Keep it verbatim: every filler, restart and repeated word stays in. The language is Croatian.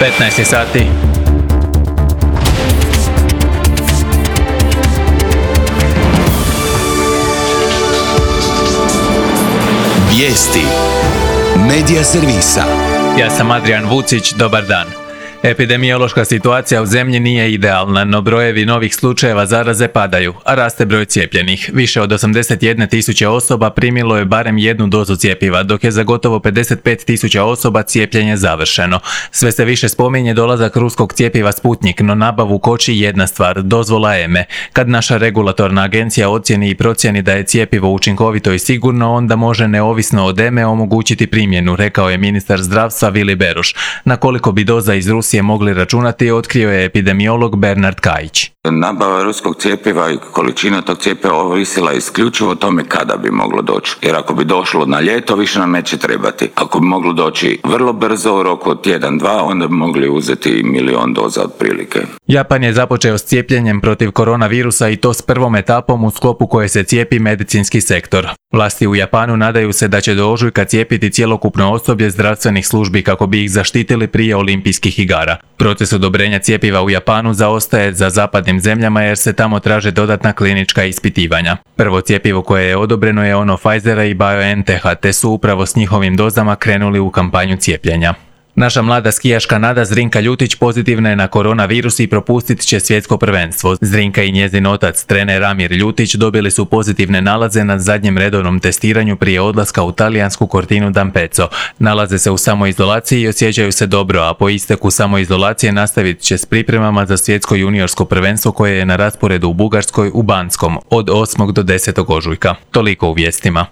petnaest je sati. Vijesti Medija servisa. Ja sam Adrian Vucić, dobar dan. Epidemiološka situacija u zemlji nije idealna, no brojevi novih slučajeva zaraze padaju, a raste broj cijepljenih. Više od osamdeset jedne tisuće osoba primilo je barem jednu dozu cjepiva, dok je za gotovo pedeset pet tisuća osoba cijepljenje završeno. Sve se više spominje dolazak ruskog cjepiva Sputnik, no nabavu koči jedna stvar, dozvola E M E. Kad naša regulatorna agencija ocijeni i procijeni da je cjepivo učinkovito i sigurno, onda može neovisno od E M E omogućiti primjenu, rekao je ministar zdravstva Vili Beroš. Na koliko bi doza iz Rusije mogli računati, otkrio je epidemiolog Bernard Kajić. Nabava ruskog cjepiva i količina tog cjepiva ovisila isključivo o tome kada bi moglo doći. Jer ako bi došlo na ljeto, više nam neće trebati. Ako bi moglo doći vrlo brzo, u roku od tjedan, dva, onda bi mogli uzeti milion doza otprilike. Japan je započeo s cijepljenjem protiv koronavirusa i to s prvom etapom u sklopu koje se cijepi medicinski sektor. Vlasti u Japanu nadaju se da će do ožujka cijepiti cjelokupno osoblje zdravstvenih službi kako bi ih zaštitili prije olimpijskih igara. Proces odobrenja cjepiva u Japanu zaostaje za zapadnim zemljama jer se tamo traže dodatna klinička ispitivanja. Prvo cjepivo koje je odobreno je ono Pfizera i BioNTecha, te su upravo s njihovim dozama krenuli u kampanju cijepljenja. Naša mlada skijaška nada Zrinka Ljutić pozitivna je na koronavirus i propustit će svjetsko prvenstvo. Zrinka i njezin otac, trener Amir Ljutić, dobili su pozitivne nalaze na zadnjem redovnom testiranju prije odlaska u talijansku Cortinu d'Ampezzo. Nalaze se u samoizolaciji i osjećaju se dobro, a po isteku samoizolacije nastavit će s pripremama za svjetsko juniorsko prvenstvo koje je na rasporedu u Bugarskoj u Banskom od osmog do desetog ožujka. Toliko u vijestima.